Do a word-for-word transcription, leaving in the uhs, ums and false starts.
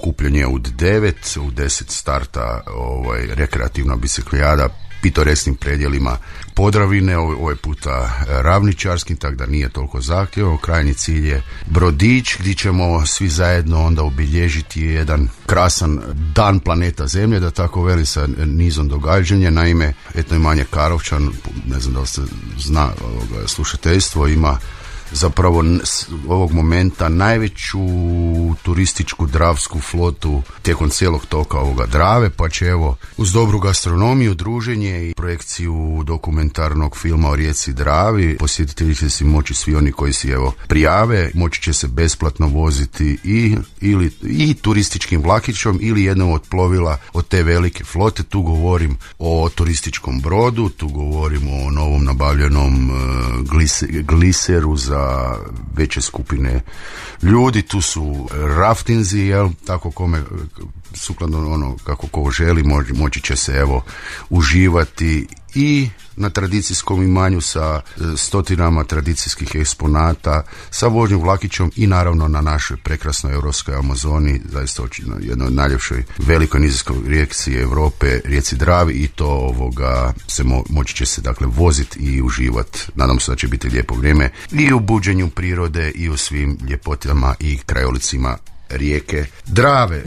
okupljanje u devet, u deset starta ovaj, rekreativna biciklijada pitoresnim predjelima Podravine, ovaj puta ravničarskim, tako da nije toliko zahtjevno. Krajnji cilj je Brodić, gdje ćemo svi zajedno onda obilježiti jedan krasan dan planeta Zemlje, da tako veli, sa nizom događanja. Naime, etno imanje Karlovčan, ne znam da li se zna ovoga, slušateljstvo, ima zapravo ovog momenta najveću turističku dravsku flotu tijekom cijelog toka ovoga Drave, pa će evo uz dobru gastronomiju, druženje i projekciju dokumentarnog filma o rijeci Dravi posjetitelji će si moći, svi oni koji si evo prijave, moći će se besplatno voziti i, ili, i turističkim vlakićom ili jednom od plovila od te velike flote. Tu govorim o turističkom brodu, tu govorim o novom nabavljenom uh, glise, gliseru za veće skupine ljudi, tu su raftinzi, jel, tako kome sukladno ono kako ko želi moći, moći će se evo uživati i na tradicijskom imanju sa stotinama tradicijskih eksponata, sa vožnjom vlakićom i naravno na našoj prekrasnoj europskoj Amazoni, zaista jednoj od najljepšoj velikoj nizinskoj rijeci Europe, rijeci Dravi, i to ovoga se mo, moći će se dakle voziti i uživati. Nadam se da će biti lijepo vrijeme i u buđenju prirode i u svim ljepotama i krajolicima rijeke Drave.